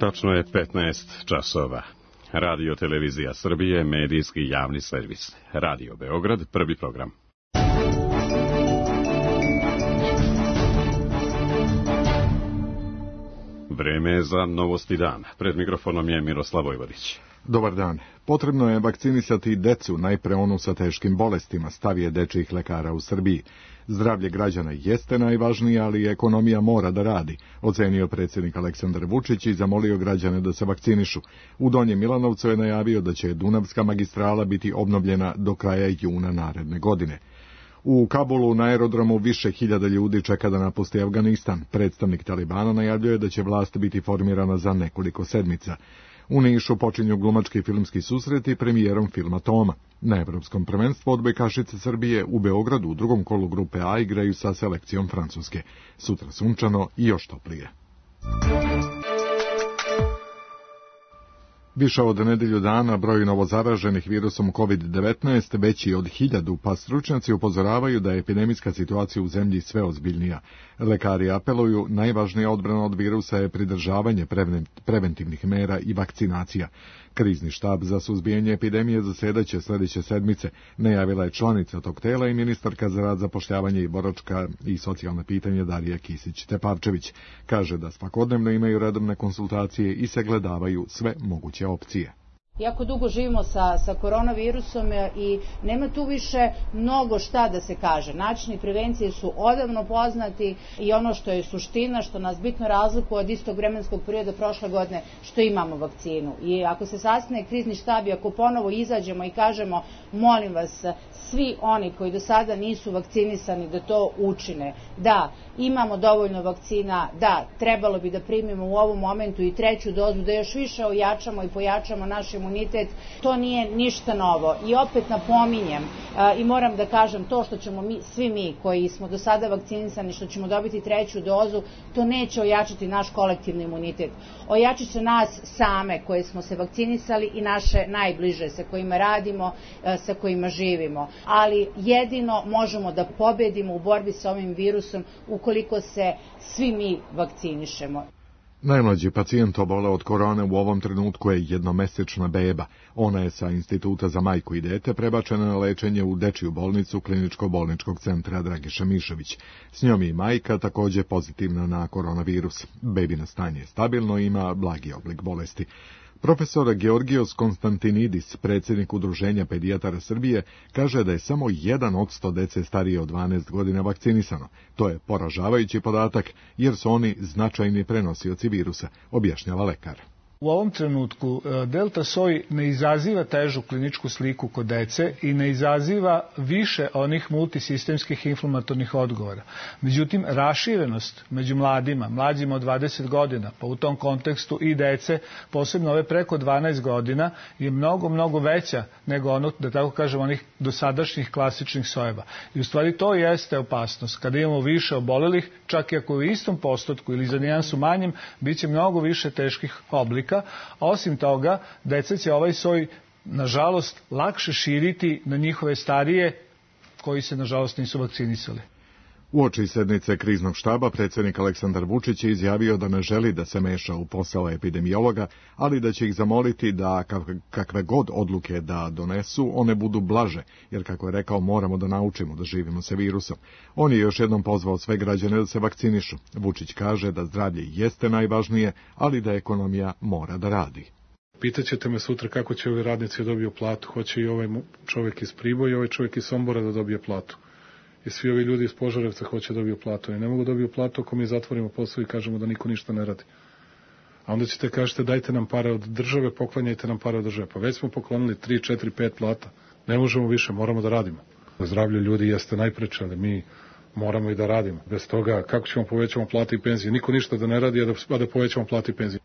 Tačno je 15 časova. Radio Televizija Srbije, medijski javni servis. Radio Beograd, prvi program. Vreme je za Novosti dan. Pred mikrofonom je Miroslav Vojvodić. Dobar dan. Potrebno je vakcinisati decu, najpre onu sa teškim bolestima, stav je dečijih lekara u Srbiji. Zdravlje građana jeste najvažnije, ali ekonomija mora da radi, ocenio predsjednik Aleksandar Vučić i zamolio građane da se vakcinišu. U Donjem Milanovcu je najavio da će Dunavska magistrala biti obnovljena do kraja juna naredne godine. U Kabulu na aerodromu više hiljada ljudi čeka da napusti Afganistan. Predstavnik Talibana najavljuje da će vlast biti formirana za nekoliko sedmica. U Nišu počinju glumački filmski susreti premijerom filma Toma. Na Evropskom prvenstvu odbojkašice Srbije u Beogradu u drugom kolu grupe A igraju sa selekcijom Francuske. Sutra sunčano i još toplije. Više od nedelju dana broj novozaraženih virusom COVID-19 veći od 1000, pa stručnjaci upozoravaju da je epidemijska situacija u zemlji sve ozbiljnija. Lekari apeluju, najvažnija odbrana od virusa je pridržavanje preventivnih mera i vakcinacija. Krizni štab za suzbijanje epidemije zasedaće sljedeće sedmice, najavila je članica tog tela i ministarka za rad, zapošljavanje i boračka i socijalna pitanja Darija Kisić-Tepavčević. Kaže da svakodnevno imaju redovne konsultacije i sagledavaju sve moguće opcije. Jako dugo živimo sa koronavirusom i nema tu više mnogo šta da se kaže. Načini prevencije su odavno poznati i ono što je suština, što nas bitno razlikuje od istog vremenskog perioda prošle godine, što imamo vakcinu. I ako se sastane krizni štab i ako ponovo izađemo i kažemo, molim vas, svi oni koji do sada nisu vakcinisani da to učine. Da, imamo dovoljno vakcina, da, trebalo bi da primimo u ovom momentu i treću dozu, da još više ojačamo i pojačamo naš imunitet, to nije ništa novo. I opet napominjem i moram da kažem, to što ćemo svi mi koji smo do sada vakcinisani, što ćemo dobiti treću dozu, to neće ojačati naš kolektivni imunitet. Ojačit će nas same koje smo se vakcinisali i naše najbliže sa kojima radimo, sa kojima živimo. Ali jedino možemo da pobedimo u borbi sa ovim virusom ukoliko se svi mi vakcinišemo. Najmlađi pacijent oboleo od korone u ovom trenutku je jednomesečna beba. Ona je sa Instituta za majku i dete prebačena na lečenje u dečiju bolnicu Kliničko-bolničkog centra Dragiša Mišović. S njom je i majka također pozitivna na koronavirus. Bebino stanje je stabilno i ima blagi oblik bolesti. Profesor Georgijos Konstantinidis, predsjednik Udruženja pedijatara Srbije, kaže da je samo 1 od 100 dece starije od 12 godina vakcinisano. To je poražavajući podatak jer su oni značajni prenosioci virusa, objašnjava lekar. U ovom trenutku delta soj ne izaziva težu kliničku sliku kod dece i ne izaziva više onih multisistemskih inflamatornih odgovora. Međutim, raširenost među mlađima od 20 godina, pa u tom kontekstu i dece, posebno ove preko 12 godina, je mnogo veća nego ono, da tako kažem, onih dosadašnjih klasičnih sojeva. I u stvari to jeste opasnost. Kada imamo više obolelih, čak i ako u istom postotku ili za nijansu manjem, bit će mnogo više teških oblika. Osim toga, deca će ovaj soj, nažalost, lakše širiti na njihove starije koji se, nažalost, nisu vakcinisali. Uoči sednice kriznog štaba predsjednik Aleksandar Vučić je izjavio da ne želi da se meša u posao epidemiologa, ali da će ih zamoliti da kakve god odluke da donesu, one budu blaže, jer kako je rekao, moramo da naučimo da živimo sa virusom. On je još jednom pozvao sve građane da se vakcinišu. Vučić kaže da zdravlje jeste najvažnije, ali da ekonomija mora da radi. Pitaćete me sutra kako će ovi radnici dobiju platu. Hoće i ovaj čovjek iz Priboja i ovaj čovjek iz Sombora da dobije platu. I svi ovi ljudi iz Požarevca hoće dobiju platu. I ne mogu dobiju platu ako mi zatvorimo posao i kažemo da niko ništa ne radi. A onda ćete kažete dajte nam pare od države, poklanjajte nam pare od države. Pa već smo poklonili 3, 4, 5 plata. Ne možemo više, moramo da radimo. Zdravlje ljudi jeste najpreče, ali mi moramo i da radimo. Bez toga kako ćemo povećamo plate i penzije? Niko ništa da ne radi, a da povećamo plate i penzije.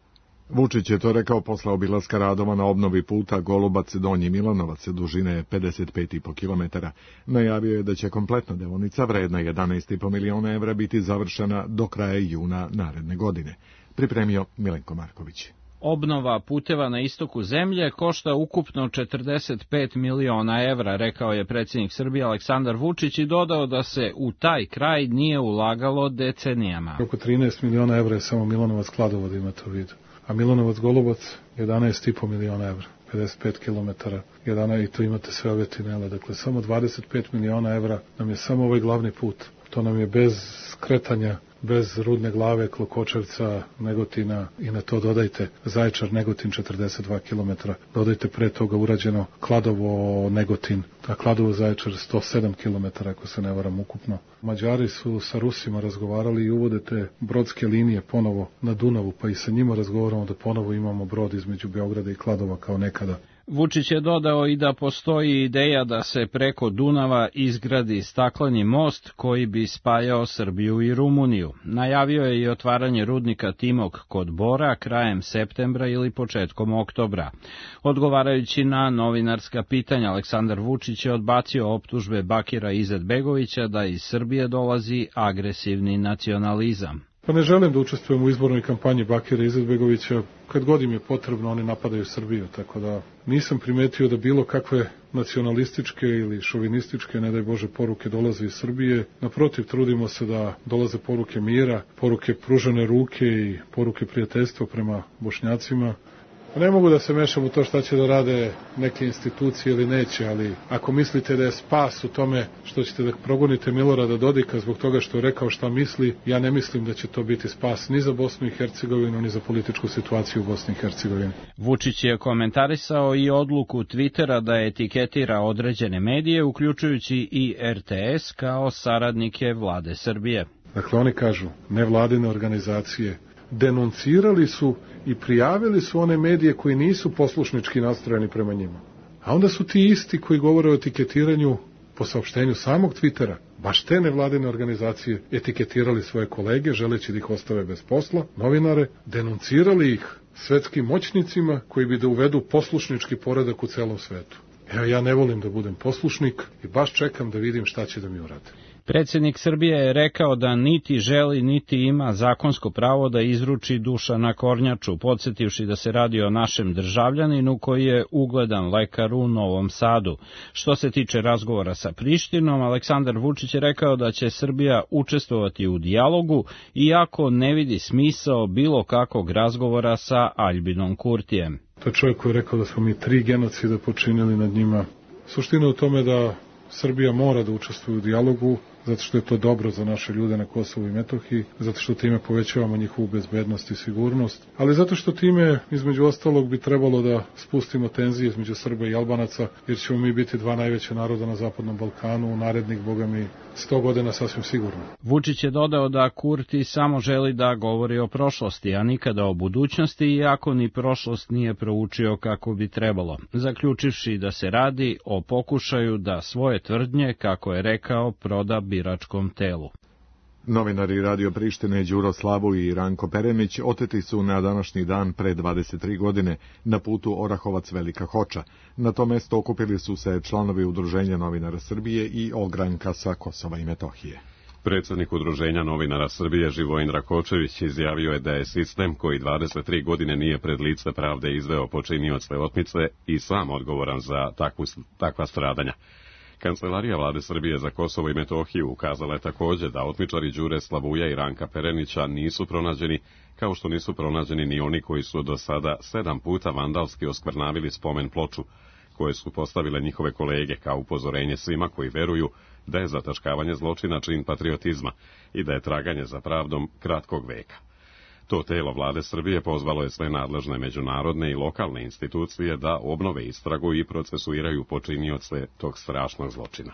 Vučić je to rekao posle obilaska radova na obnovi puta Golubac-Donji Milanovac dužine 55,5 km. Najavio je da će kompletna deonica vredna 11,5 miliona evra biti završena do kraja juna naredne godine. Pripremio Milenko Marković. Obnova puteva na istoku zemlje košta ukupno 45 miliona evra, rekao je predsjednik Srbije Aleksandar Vučić i dodao da se u taj kraj nije ulagalo decenijama. Oko 13 miliona evra je samo Milanovac-Kladovo, da imate u vidu. A Milanovac-Golubac 11,5 miliona evra, 55 kilometara, i to imate sve ove tunele. Dakle, samo 25 miliona evra nam je samo ovaj glavni put. To nam je bez skretanja, bez Rudne Glave, Klokočevca, Negotina i na to dodajte Zaječar, Negotin 42 km, dodajte pre toga urađeno Kladovo, Negotin, a Kladovo, Zaječar 107 km, ako se ne varam ukupno. Mađari su sa Rusima razgovarali i uvode te brodske linije ponovo na Dunavu, pa i sa njima razgovaramo da ponovo imamo brod između Beograda i Kladova kao nekada. Vučić je dodao i da postoji ideja da se preko Dunava izgradi stakleni most koji bi spajao Srbiju i Rumuniju. Najavio je i otvaranje rudnika Timok kod Bora krajem septembra ili početkom oktobra. Odgovarajući na novinarska pitanja, Aleksandar Vučić je odbacio optužbe Bakira Izetbegovića da iz Srbije dolazi agresivni nacionalizam. Pa ne želim da učestvujem u izbornoj kampanji Bakira Izetbegovića. Kad god im je potrebno, oni napadaju Srbiju, tako da nisam primetio da bilo kakve nacionalističke ili šovinističke, ne daj Bože, poruke dolaze iz Srbije. Naprotiv, trudimo se da dolaze poruke mira, poruke pružene ruke i poruke prijateljstva prema Bošnjacima. Ne mogu da se mešam u to šta će da rade neke institucije ili neće, ali ako mislite da je spas u tome što ćete da progonite Milorada Dodika zbog toga što je rekao šta misli, ja ne mislim da će to biti spas ni za Bosnu i Hercegovinu, ni za političku situaciju u Bosni i Hercegovini. Vučić je komentarisao i odluku Twittera da etiketira određene medije, uključujući i RTS, kao saradnike vlade Srbije. Dakle, oni kažu, nevladine organizacije denuncirali su i prijavili su one medije koji nisu poslušnički nastrojeni prema njima. A onda su ti isti koji govore o etiketiranju po saopštenju samog Twittera, baš te nevladine organizacije etiketirali svoje kolege, želeći da ih ostave bez posla, novinare, denuncirali ih svetskim moćnicima koji bi da uvedu poslušnički poredak u celom svetu. Evo, ja ne volim da budem poslušnik i baš čekam da vidim šta će da mi urade. Predsjednik Srbije je rekao da niti želi, niti ima zakonsko pravo da izruči Dušana Kornjaču, podsjetivši da se radi o našem državljaninu koji je ugledan lekar u Novom Sadu. Što se tiče razgovora sa Prištinom, Aleksandar Vučić je rekao da će Srbija učestvovati u dijalogu, iako ne vidi smisao bilo kakvog razgovora sa Aljbinom Kurtijem. To je čovjek koji je rekao da smo mi 3 genocida počinili nad njima. Suština je u tome da Srbija mora da učestvuje u dijalogu, zato što je to dobro za naše ljude na Kosovu i Metohiji, zato što time povećavamo njihovu bezbednost i sigurnost, ali zato što time, između ostalog, bi trebalo da spustimo tenzije između Srba i Albanaca, jer ćemo mi biti 2 najveća naroda na Zapadnom Balkanu u narednih, boga mi, 100 godina sasvim sigurno. Vučić je dodao da Kurti samo želi da govori o prošlosti, a nikada o budućnosti, iako ni prošlost nije proučio kako bi trebalo, zaključivši da se radi o pokušaju da svoje tvrdnje, kako je rekao, proda biračkom telu. Novinari Radio Prištine Đuro Slavu i Ranko Perenić oteti su na današnji dan pre 23 godine na putu Orahovac-Velika Hoča. Na to mesto okupili su se članovi Udruženja novinara Srbije i ogranka sa Kosova i Metohije. Predsjednik Udruženja novinara Srbije Živojin Rakočević izjavio je da je sistem koji 23 godine nije pred lice pravde izveo počinioce otmice i sam odgovoran za takva stradanja. Kancelarija vlade Srbije za Kosovo i Metohiju ukazala je također da otmičari Đure Slavuja i Ranka Perenića nisu pronađeni, kao što nisu pronađeni ni oni koji su do sada 7 puta vandalski oskvrnavili spomen ploču, koje su postavile njihove kolege kao upozorenje svima koji veruju da je zataškavanje zločina čin patriotizma i da je traganje za pravdom kratkog veka. To telo vlade Srbije pozvalo je sve nadležne međunarodne i lokalne institucije da obnove istragu i procesuiraju počinioce tog strašnog zločina.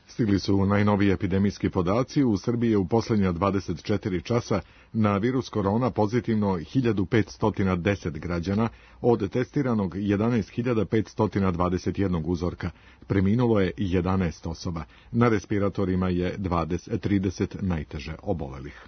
Stigli su najnoviji epidemijski podaci. U Srbiji je u posljednja 24 časa na virus korona pozitivno 1510 građana, od testiranog 11.521 uzorka. Preminulo je 11 osoba. Na respiratorima je 30 najteže obolelih.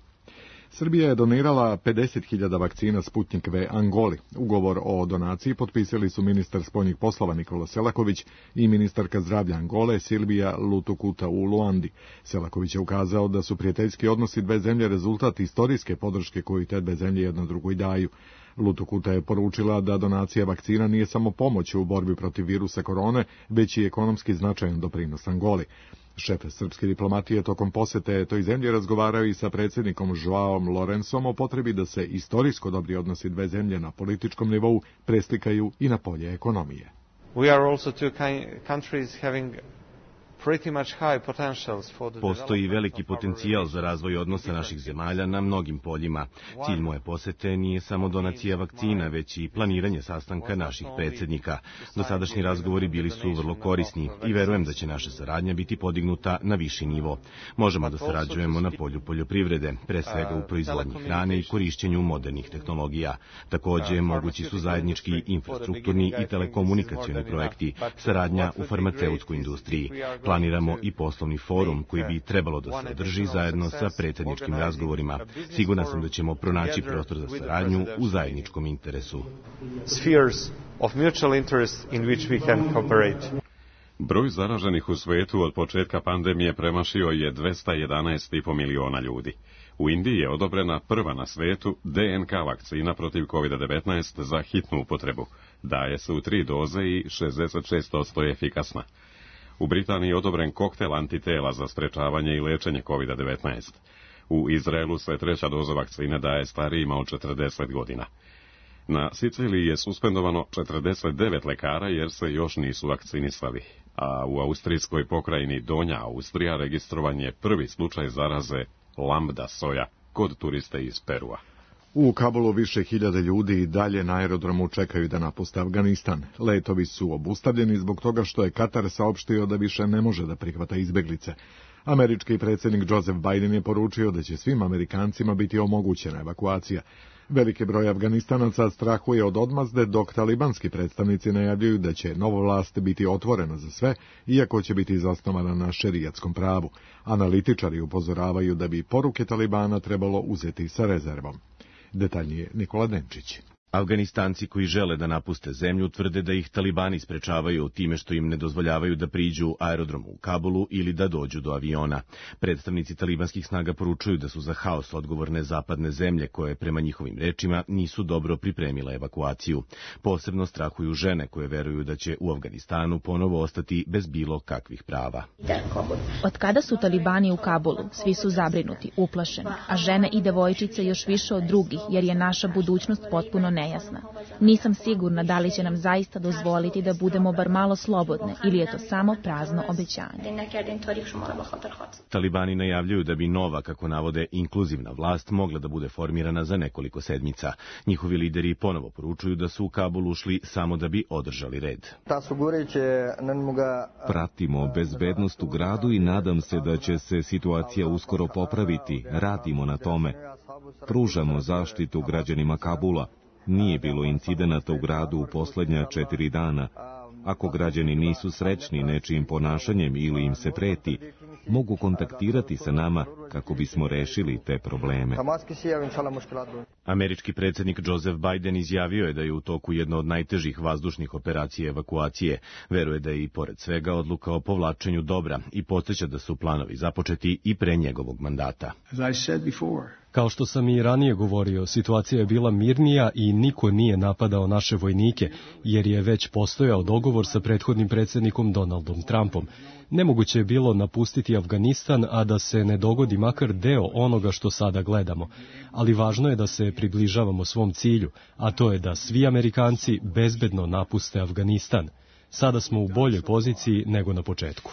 Srbija je donirala 50.000 vakcina Sputnik V Angoli. Ugovor o donaciji potpisali su ministar spoljnih poslova Nikola Selaković i ministarka zdravlja Angole Silvija Lutukuta u Luandi. Selaković je ukazao da su prijateljski odnosi dve zemlje rezultat istorijske podrške koju te dve zemlje jedna drugoj daju. Lutukuta je poručila da donacija vakcina nije samo pomoć u borbi protiv virusa korone, već i ekonomski značajan doprinos Angoli. Šef srpske diplomatije tokom posete toj zemlji razgovarao i sa predsjednikom Joaom Lourençom o potrebi da se istorijsko dobri odnosi dve zemlje na političkom nivou preslikaju i na polje ekonomije. We are also two countries having Postoji veliki potencijal za razvoj odnosa naših zemalja na mnogim poljima. Cilj moje posete nije samo donacija vakcina, već i planiranje sastanka naših predsjednika. Dosadašnji razgovori bili su vrlo korisni i verujem da će naša saradnja biti podignuta na viši nivo. Možemo da sarađujemo na polju poljoprivrede, pre svega u proizvodnji hrane i korišćenju modernih tehnologija. Takođe, mogući su zajednički infrastrukturni i telekomunikacioni projekti, saradnja u farmaceutskoj industriji. Planiramo i poslovni forum koji bi trebalo da se održi zajedno sa predsjedničkim razgovorima. Siguran sam da ćemo pronaći prostor za saradnju u zajedničkom interesu. Broj zaraženih u svetu od početka pandemije premašio je 211,5 miliona ljudi. U Indiji je odobrena prva na svetu DNK vakcina protiv COVID-19 za hitnu upotrebu. Daje se u 3 doze i 66% je efikasna. U Britaniji je odobren koktel antitela za sprečavanje i lečenje COVID-19. U Izraelu se 3. doza vakcine daje starijima od 40 godina. Na Siciliji je suspendovano 49 lekara jer se još nisu vakcinisali, a u austrijskoj pokrajini Donja Austrija registrovan je prvi slučaj zaraze lambda soja kod turiste iz Perua. U Kabulu više hiljada ljudi i dalje na aerodromu čekaju da napuste Afganistan. Letovi su obustavljeni zbog toga što je Katar saopštio da više ne može da prihvata izbeglice. Američki predsjednik Joseph Biden je poručio da će svim Amerikancima biti omogućena evakuacija. Veliki broj Afganistanaca strahuje od odmazde, dok talibanski predstavnici najavljuju da će nova vlast biti otvorena za sve, iako će biti zasnovana na šerijatskom pravu. Analitičari upozoravaju da bi poruke Talibana trebalo uzeti sa rezervom. Detaljnije Nikola Denčić. Afganistanci koji žele da napuste zemlju tvrde da ih talibani sprečavaju time što im ne dozvoljavaju da priđu aerodromu u Kabulu ili da dođu do aviona. Predstavnici talibanskih snaga poručuju da su za haos odgovorne zapadne zemlje koje, prema njihovim rečima, nisu dobro pripremile evakuaciju. Posebno strahuju žene koje veruju da će u Afganistanu ponovo ostati bez bilo kakvih prava. Od kada su talibani u Kabulu, svi su zabrinuti, uplašeni, a žene i devojčice još više od drugih, jer je naša budućnost potpuno nejasna. Nisam sigurna da li će nam zaista dozvoliti da budemo bar malo slobodne ili je to samo prazno obećanje. Talibani najavljuju da bi nova, kako navode, inkluzivna vlast mogla da bude formirana za nekoliko sedmica. Njihovi lideri ponovo poručuju da su u Kabul ušli samo da bi održali red. Pratimo bezbednost u gradu i nadam se da će se situacija uskoro popraviti. Radimo na tome. Pružamo zaštitu građanima Kabula. Nije bilo incidenata u gradu u posljednja 4 dana. Ako građani nisu srećni nečijim ponašanjem ili im se preti, mogu kontaktirati sa nama kako bismo rešili te probleme. Američki predsjednik Joseph Biden izjavio je da je u toku jedna od najtežih vazdušnih operacija evakuacije. Veruje da je i pored svega odluka o povlačenju dobra i podsjeća da su planovi započeti i pre njegovog mandata. Kao što sam i ranije govorio, situacija je bila mirnija i niko nije napadao naše vojnike, jer je već postojao dogovor sa prethodnim predsjednikom Donaldom Trumpom. Nemoguće je bilo napustiti Afganistan, a da se ne dogodi makar deo onoga što sada gledamo. Ali važno je da se približavamo svom cilju, a to je da svi Amerikanci bezbedno napuste Afganistan. Sada smo u boljoj poziciji nego na početku.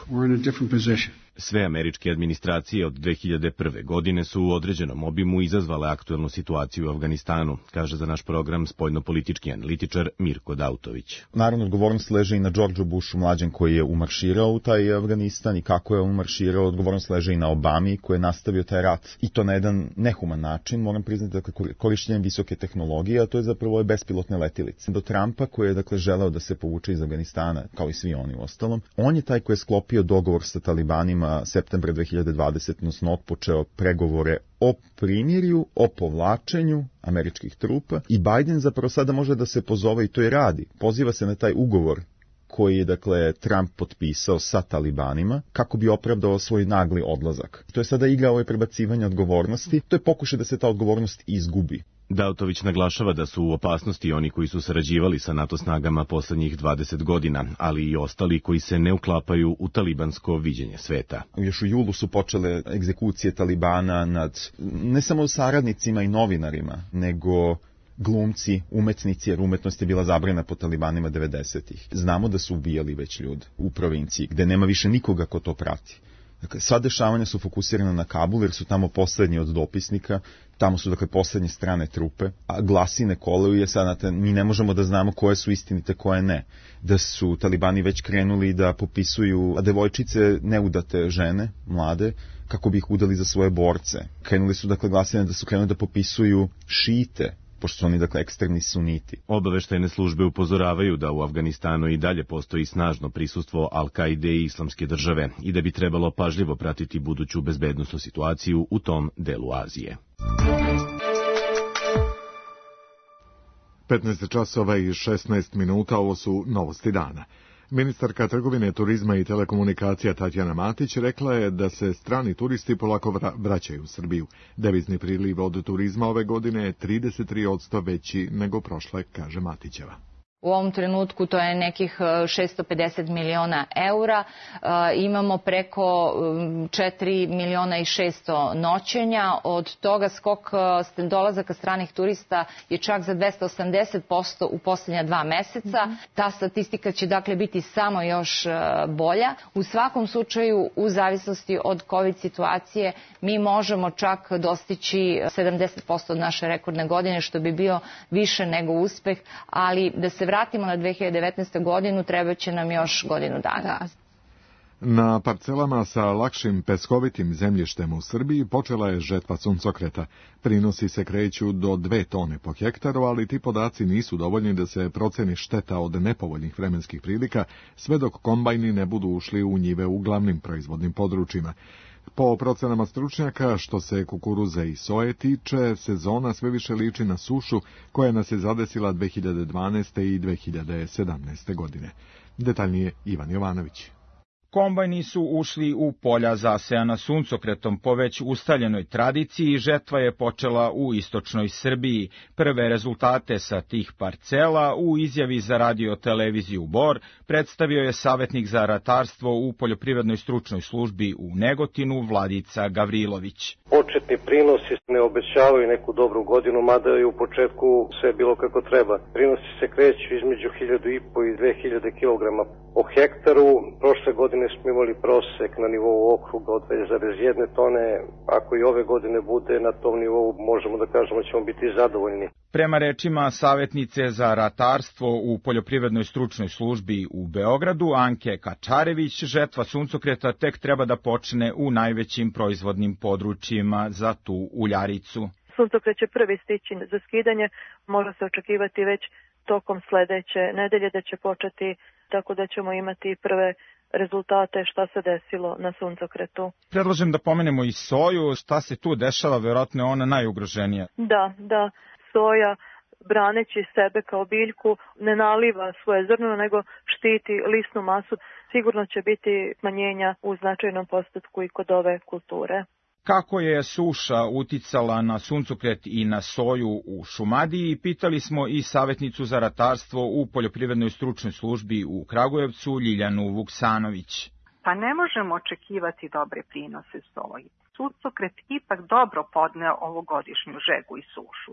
Sve američke administracije od 2001. godine su u određenom obimu izazvale aktuelnu situaciju u Afganistanu, kaže za naš program spoljnopolitički analitičar Mirko Dautović. Naravno, odgovornost leži i na Georgeu Bushu mlađem koji je umarširao u taj Afganistan i kako je umarširao, odgovornost leži i na Obami koji je nastavio taj rat i to na jedan nehuman način, moram priznati, dakle, korišćenjem visoke tehnologije, a to je zapravo bespilotne letilice. Do Trumpa koji je dakle želeo da se povuče iz Afganistana, kao i svi oni u ostalom, on je taj koji je sklopio dogovor sa talibanima izborima septembra 2020, odnosno otpočeo pregovore o primirju, o povlačenju američkih trupa i Biden zapravo sada može da se pozove i to i radi. Poziva se na taj ugovor koji je, dakle, Trump potpisao sa talibanima kako bi opravdao svoj nagli odlazak. To je sada igra prebacivanja odgovornosti, to je pokušaj da se ta odgovornost izgubi. Dautović naglašava da su u opasnosti oni koji su sarađivali sa NATO snagama poslednjih 20 godina, ali i ostali koji se ne uklapaju u talibansko viđenje sveta. Još u julu su počele egzekucije Talibana nad ne samo saradnicima i novinarima, nego glumci, umetnici, jer umetnost je bila zabranjena po talibanima 90-ih. Znamo da su ubijali već ljudi u provinciji, gde nema više nikoga ko to prati. Dakle, sva dešavanja su fokusirana na Kabul, jer su tamo poslednji od dopisnika, tamo su, dakle, poslednje strane trupe, a glasine kolaju je sad, mi ne možemo da znamo koje su istinite, koje ne. Da su talibani već krenuli da popisuju devojčice, neudate žene, mlade, kako bi ih udali za svoje borce. Krenuli su, dakle, glasine da su krenuli da popisuju šite, pošto su oni, dakle, ekstremni suniti. Obaveštajne službe upozoravaju da u Afganistanu i dalje postoji snažno prisustvo Al-Kaide i Islamske države i da bi trebalo pažljivo pratiti buduću bezbednosnu situaciju u tom delu Azije. 15 časova i 16 minuta, ovo su novosti dana. Ministarka trgovine, turizma i telekomunikacija Tatjana Matić rekla je da se strani turisti polako vraćaju u Srbiju. Devizni priliv od turizma ove godine je 33% veći nego prošle, kaže Matićeva. U ovom trenutku to je nekih 650 miliona eura. Imamo preko 4 miliona i 600 noćenja. Od toga skok dolazaka stranih turista je čak za 280% u posljednja 2 meseca. Ta statistika će, dakle, biti samo još bolja. U svakom slučaju, u zavisnosti od COVID situacije, mi možemo čak dostići 70% od naše rekordne godine, što bi bio više nego uspeh, ali da se vratimo na 2019. godinu, treba će nam još godinu dana. Na parcelama sa lakšim peskovitim zemljištem u Srbiji počela je žetva suncokreta. Prinosi se kreću do 2 tone po hektaru, ali ti podaci nisu dovoljni da se proceni šteta od nepovoljnih vremenskih prilika, sve dok kombajni ne budu ušli u njive u glavnim proizvodnim područjima. Po procenama stručnjaka, što se kukuruza i soje tiče, sezona sve više liči na sušu koja nas je zadesila 2012. i 2017. godine. Detaljnije Ivan Jovanović. Kombajni su ušli u polja zasejana suncokretom po već ustaljenoj tradiciji i žetva je počela u istočnoj Srbiji. Prve rezultate sa tih parcela u izjavi za radio-televiziju Bor predstavio je savjetnik za ratarstvo u poljoprivrednoj stručnoj službi u Negotinu Vladica Gavrilović. Početni prinosi ne obećavaju neku dobru godinu, mada je u početku sve bilo kako treba. Prinosi se kreću između 1.500 i 2.000 kg po hektaru. Prošle godine smo imali prosek na nivou okruga od 2,1 tone. Ako i ove godine bude na tom nivou, možemo da kažemo da ćemo biti zadovoljni. Prema rečima savjetnice za ratarstvo u poljoprivrednoj stručnoj službi u Beogradu, Anke Kačarević, žetva suncokreta tek treba da počne u najvećim proizvodnim područjima za tu uljaricu. Suncokret će prvi stići za skidanje, može se očekivati već tokom sledeće nedelje da će početi, tako da ćemo imati prve rezultate šta se desilo na suncokretu. Predlažem da pomenemo i soju, šta se tu dešava, verovatno je ona najugroženija. Da, soja, braneći sebe kao biljku, ne naliva svoje zrno, nego štiti lisnu masu. Sigurno će biti smanjenja u značajnom postotku i kod ove kulture. Kako je suša uticala na suncokret i na soju u Šumadiji, pitali smo i savjetnicu za ratarstvo u poljoprivrednoj stručnoj službi u Kragujevcu, Ljiljanu Vuksanović. Pa ne možemo očekivati dobre prinose soji. Suncokret ipak dobro podneo ovogodišnju žegu i sušu,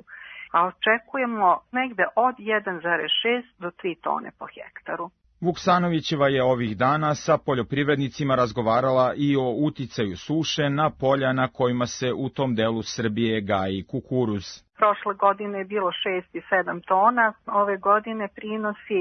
a očekujemo negde od 1,6 do 3 tone po hektaru. Vuksanovićeva je ovih dana sa poljoprivrednicima razgovarala i o uticaju suše na polja na kojima se u tom delu Srbije gaji kukuruz. Prošle godine je bilo 6 i 7 tona, ove godine prinosi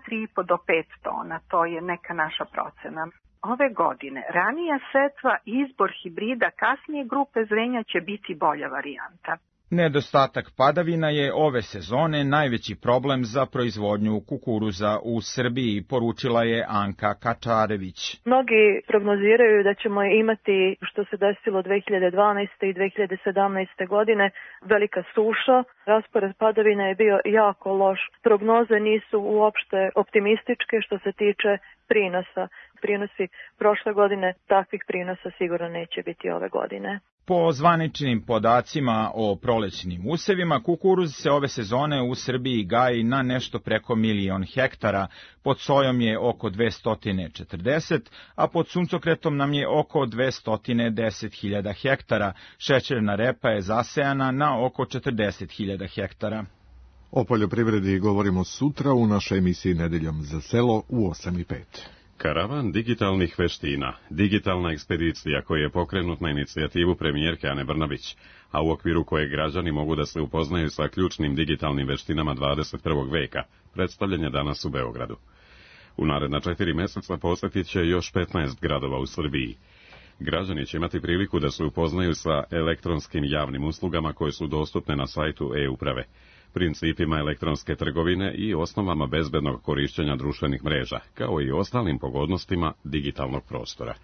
4,5 do 5 tona, to je neka naša procena. Ove godine ranija setva i izbor hibrida kasnije grupe zrenja će biti bolja varijanta. Nedostatak padavina je ove sezone najveći problem za proizvodnju kukuruza u Srbiji, poručila je Anka Kačarević. Mnogi prognoziraju da ćemo imati, što se desilo 2012. i 2017. godine, velika suša. Raspored padavina je bio jako loš. Prognoze nisu uopšte optimističke što se tiče prinosa. Prinosi prošle godine, takvih prinosa sigurno neće biti ove godine. Po zvaničnim podacima o prolećnim usevima, kukuruz se ove sezone u Srbiji gaji na nešto preko 1.000.000 hektara, pod sojom je oko 240, a pod suncokretom nam je oko 210.000 hektara. Šećerna repa je zasejana na oko 40.000 hektara. O poljoprivredi govorimo sutra u našoj emisiji Nedeljom za selo u 8:05. Karavan digitalnih veština, digitalna ekspedicija koja je pokrenut na inicijativu premijerke Ane Brnabić, a u okviru koje građani mogu da se upoznaju sa ključnim digitalnim veštinama 21. veka, predstavljen je danas u Beogradu. U naredna 4 meseca posjetit će još 15 gradova u Srbiji. Građani će imati priliku da se upoznaju sa elektronskim javnim uslugama koje su dostupne na sajtu e-uprave, principima elektronske trgovine i osnovama bezbednog korišćenja društvenih mreža, kao i ostalim pogodnostima digitalnog prostora.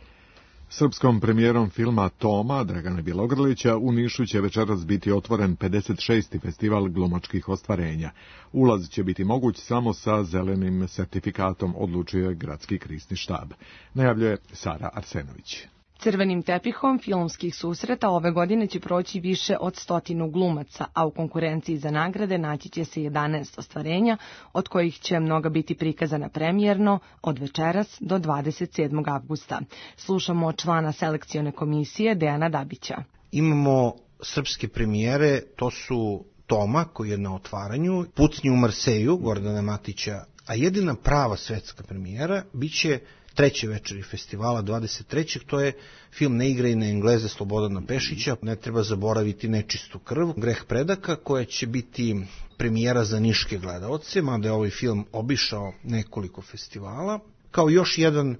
Srpskom premijerom filma Toma, Dragana Bjelogrlića, u Nišu će večeras biti otvoren 56. festival glumačkih ostvarenja. Ulaz će biti moguć samo sa zelenim sertifikatom, odlučuje gradski krizni štab. Najavljuje Sara Arsenović. Crvenim tepihom filmskih susreta ove godine će proći više od 100 glumaca, a u konkurenciji za nagrade naći će se 11 ostvarenja, od kojih će mnoga biti prikazana premijerno od večeras do 27. avgusta. Slušamo člana selekcione komisije Dejana Dabića. Imamo srpske premijere, to su Toma, koji je na otvaranju, Pucnji u Marseju, Gordana Matića, a jedina prava svetska premijera biće treće večeri festivala 23. To je film Ne igraj na Engleze Slobodana Pešića. Ne treba zaboraviti Nečistu krv, Greh predaka, koja će biti premijera za niške gledaoce, mada je ovaj film obišao nekoliko festivala. Kao još jedan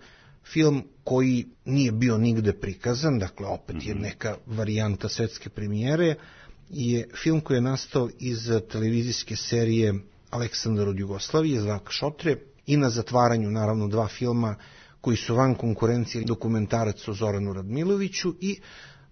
film koji nije bio nigde prikazan, dakle opet je neka varijanta svetske premijere, je film koji je nastao iz televizijske serije Aleksandar od Jugoslavije, Zvaka Šotre, i na zatvaranju naravno 2 filma koji su van konkurencije, dokumentarac o Zoranu Radmiloviću i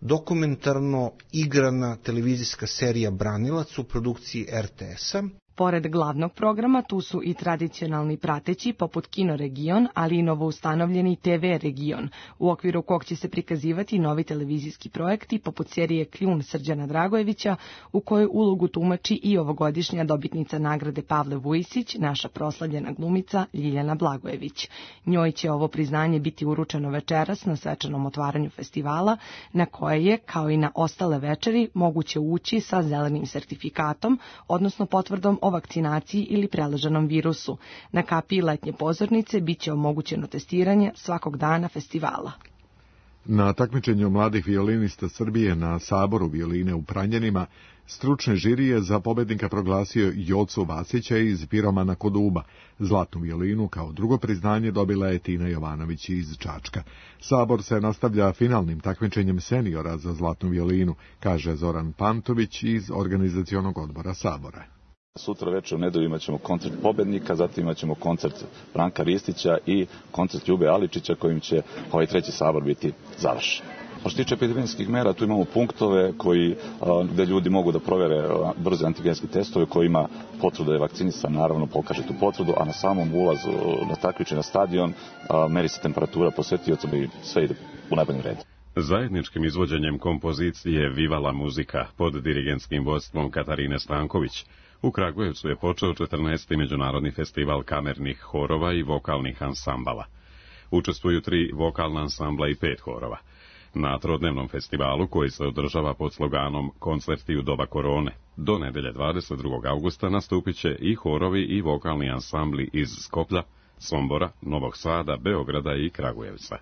dokumentarno igrana televizijska serija Branilac u produkciji RTS-a. Pored glavnog programa, tu su i tradicionalni prateći, poput Kino Region, ali i novoustanovljeni TV Region, u okviru kog će se prikazivati novi televizijski projekti, poput serije Kljun Srđana Dragojevića, u kojoj ulogu tumači i ovogodišnja dobitnica nagrade Pavle Vujisić, naša proslavljena glumica Ljiljana Blagojević. Njoj će ovo priznanje biti uručeno večeras na svečanom otvaranju festivala, na koje je, kao i na ostale večeri, moguće ući sa zelenim sertifikatom, odnosno potvrdom o vakcinaciji ili preleženom virusu. Na kapiji letnje pozornice biće omogućeno testiranje svakog dana festivala. Na takmičenju mladih violinista Srbije na Saboru violine u Pranjanima, stručni žiri je za pobednika proglasio Jocu Vasića iz Piromana kod Uba. Zlatnu violinu kao drugo priznanje dobila je Tina Jovanović iz Čačka. Sabor se nastavlja finalnim takmičenjem seniora za zlatnu violinu, kaže Zoran Pantović iz organizacionog odbora Sabora. Sutra večer u nedelju imat ćemo koncert pobednika, zatim imat ćemo koncert Branka Ristića i koncert Ljube Aličića kojim će ovaj treći sabor biti završen. Što se tiče epidemijskih mera, tu imamo punktove gde ljudi mogu da provere brze antigenske testove, koji ima potvrdu da je vakcinisan, naravno pokaže tu potvrdu, a na samom ulazu na takmičenje na stadion meri se temperatura posetioca i sve ide u najboljem redu. Zajedničkim izvođenjem kompozicije Vivala muzika pod dirigentskim vodstvom Katarine Stanković u Kragujevcu je počeo 14. međunarodni festival kamernih horova i vokalnih ansambala. Učestvuju 3 vokalna ansambla i 5 horova. Na trodnevnom festivalu, koji se održava pod sloganom Koncerti u doba korone, do nedelje 22. augusta nastupit će i horovi i vokalni ansambli iz Skoplja, Sombora, Novog Sada, Beograda i Kragujevca.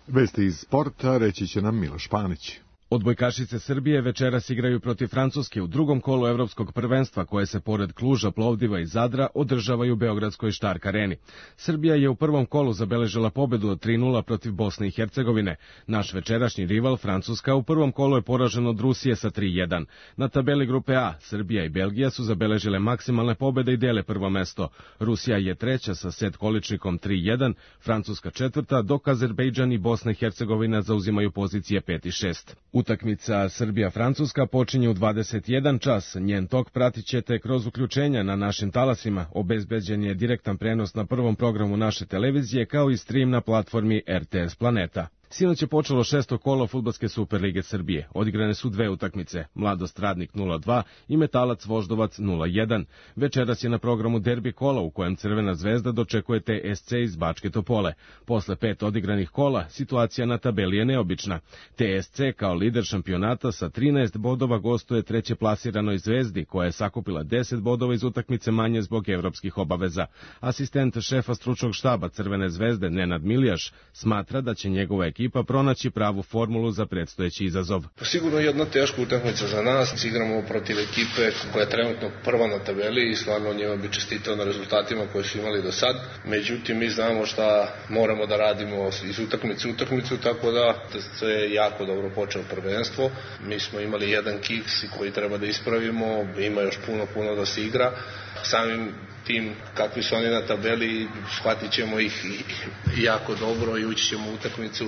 Vesti iz sporta reći će nam Miloš Panić. Odbojkašice Srbije večeras igraju protiv Francuske u drugom kolu evropskog prvenstva koje se pored Kluža, Plovdiva i Zadra održavaju u Beogradskoj Štark areni. Srbija je u prvom kolu zabeležila pobedu od 3:0 protiv Bosne i Hercegovine. Naš večerašnji rival Francuska u prvom kolu je poražen od Rusije sa 3:1. Na tabeli grupe A Srbija i Belgija su zabeležile maksimalne pobede i dele prvo mesto. Rusija je treća sa set količnikom 3:1, Francuska četvrta, dok Azerbejdžan i Bosna i Hercegovina zauzimaju pozicije 5 i 6. Utakmica Srbija-Francuska počinje u 21 čas. Njen tok pratit ćete kroz uključenja na našim talasima. Obezbeđen je direktan prenos na prvom programu naše televizije kao i stream na platformi RTS Planeta. Sinoć je počelo 6. kolo Fudbalske Superlige Srbije. Odigrane su dve utakmice, Mladost Radnik 0:2 i Metalac Voždovac 0:1. Večeras je na programu derbi kola u kojem Crvena zvezda dočekuje TSC iz Bačke Topole. Posle 5 odigranih kola, situacija na tabeli je neobična. TSC kao lider šampionata sa 13 bodova gostuje treće plasiranoj Zvezdi, koja je sakupila 10 bodova iz utakmice manje zbog evropskih obaveza. Asistent šefa stručnog štaba Crvene zvezde Nenad Milijaš smatra da će njegova ekipa pronaći pravu formulu za predstojeći izazov. Sigurno jedna teška utakmica za nas. Igramo protiv ekipe koja je trenutno prva na tabeli i stvarno njima bi čestitao na rezultatima koje su imali do sad. Međutim, mi znamo šta moramo da radimo iz utakmice u utakmicu, tako da se je jako dobro počeo prvenstvo. Mi smo imali jedan kiks koji treba da ispravimo, ima još puno da se igra. Samim tim kakvi su oni na tabeli, shvatit ćemo ih jako dobro i ući ćemo u utakmicu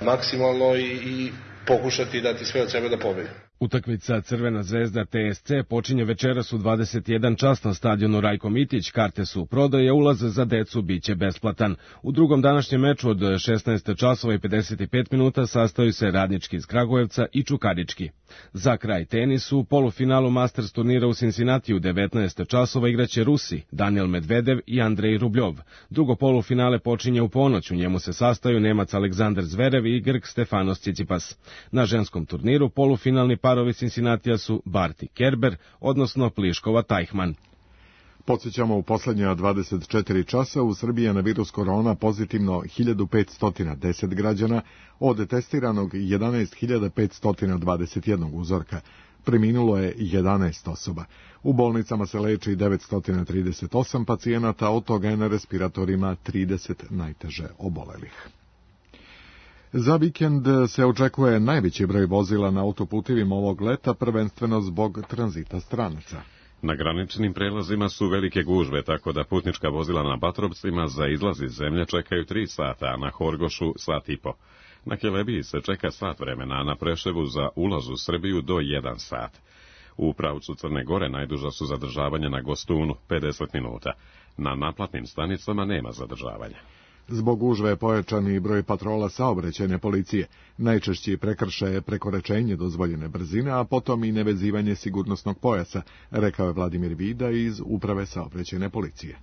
maksimalno i pokušati dati sve od sebe da pobedi. Utakmica Crvena zvezda TSC počinje večeras u 21 čas na stadionu Rajko Mitić. Karte su u prodaji, ulaz za decu biće besplatan. U drugom današnjem meču od 16 časova i 55 minuta sastaju se Radnički iz Kragujevca i Čukarički. Za kraj tenisu, u polufinalu Masters turnira u Cincinnati u 19 časova igraće Rusi, Daniel Medvedev i Andrej Rubljov. Drugo polufinale počinje u ponoć, u njemu se sastaju Nemac Aleksandar Zverev i Grk Stefanos Tsitsipas. Na ženskom turniru polufinalni parovi Cincinnatija su Barty Kerber, odnosno Pliškova Tajhman. Podsjećamo, u poslednja 24 časa u Srbiji je na virus korona pozitivno 1510 građana, od testiranog 11.521 uzorka. Preminulo je 11 osoba. U bolnicama se leči 938 pacijenata, od toga je na respiratorima 30 najteže obolelih. Za vikend se očekuje najveći broj vozila na autoputevima ovog leta, prvenstveno zbog tranzita stranaca. Na graničnim prelazima su velike gužve, tako da putnička vozila na Batrovcima za izlaz iz zemlje čekaju 3 sata, a na Horgošu sat i po. Na Kelebiji se čeka sat vremena, a na Preševu za ulaz u Srbiju do 1 sat. U pravcu Crne Gore najduža su zadržavanja na Gostunu, 50 minuta. Na naplatnim stanicama nema zadržavanja. Zbog gužve je pojačani broj patrola saobraćajne policije. Najčešći prekršaj je prekoračenje dozvoljene brzine, a potom i nevezivanje sigurnosnog pojasa, rekao je Vladimir Vida iz Uprave saobraćajne policije.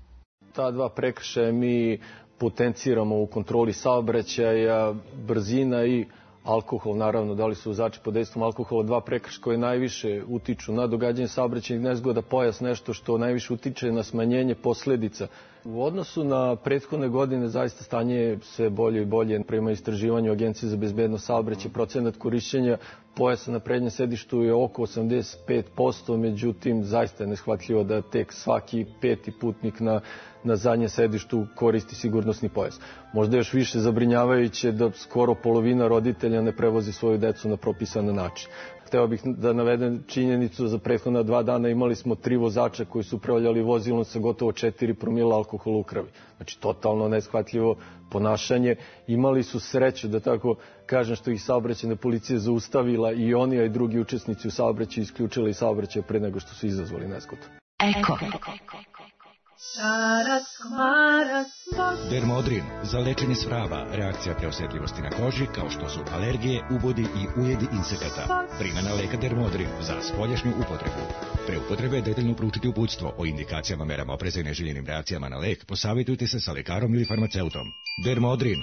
Ta dva prekršaja mi potenciramo u kontroli saobraćaja, brzina i alkohol, naravno, da li su vozači pod dejstvom alkohola, dva prekršaja koje najviše utiču na događanje saobraćajnih nezgoda, pojas nešto što najviše utiče na smanjenje posledica. U odnosu na prethodne godine zaista stanje je sve bolje i bolje. Prema istraživanju Agencije za bezbednost saobraćaja, procenat korišćenja pojasa na prednjem sedištu je oko 85%, međutim zaista je neshvatljivo da tek svaki 5. putnik na zadnjem sedištu koristi sigurnosni pojas. Možda još više zabrinjavajuće da skoro polovina roditelja ne prevozi svoju decu na propisan način. Hteo bih da navedem činjenicu, za prethodna 2 dana imali smo 3 vozača koji su upravljali vozilom sa gotovo 4 promila alkohola u krvi. Znači, totalno neshvatljivo ponašanje. Imali su sreću, da tako kažem, što ih saobraćajna policija zaustavila i oni, a i drugi učesnici u saobraćaju isključili saobraćaj pre nego što su izazvali nezgodu. Eko. Dermodrin za lečenje svrava, reakcija preosetljivosti na koži kao što su alergije, ubodi i ujedi insekata. Primjena leka Dermodrin za spoljašnju upotrebu. Pre upotrebe detaljno proučiti uputstvo o indikacijama, merama opreza i neželjenim reakcijama na lek. Posavitujte se sa lekarom ili farmaceutom. Dermodrin.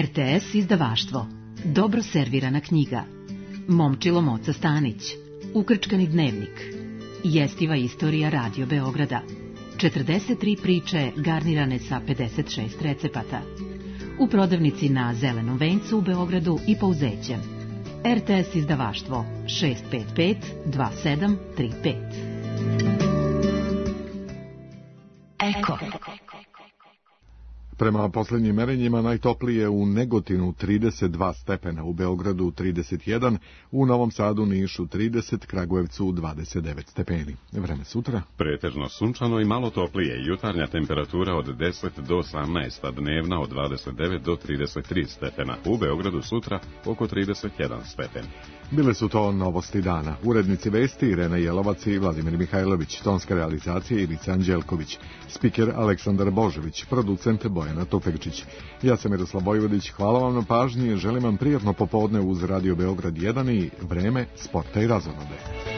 RTS izdavaštvo. Dobro servirana knjiga. Momčilo Moca Stanić. Ukrčkani dnevnik. Jestiva istorija Radio Beograda. 43 priče garnirane sa 56 recepata. u prodavnici na Zelenom vencu u Beogradu i Pouzećem. RTS izdavaštvo 655 2735. Eko. Prema poslednjim merenjima najtoplije u Negotinu 32 stepena, u Beogradu 31, u Novom Sadu, Nišu 30, Kragujevcu 29 stepeni. Vreme sutra? Pretežno sunčano i malo toplije, jutarnja temperatura od 10 do 18, a dnevna od 29 do 33 stepena. U Beogradu sutra oko 31 stepen. Bile su to novosti dana. Urednici vesti Irena Jelovac i Vladimir Mihajlović, tonska realizacija Ivica Anđelković, spiker Aleksandar Božović, producent Bojana Tufekčić. Ja sam Miroslav Vojvodić, hvala vam na pažnji, želim vam prijatno popodne uz Radio Beograd 1 i vreme sporta i razonode.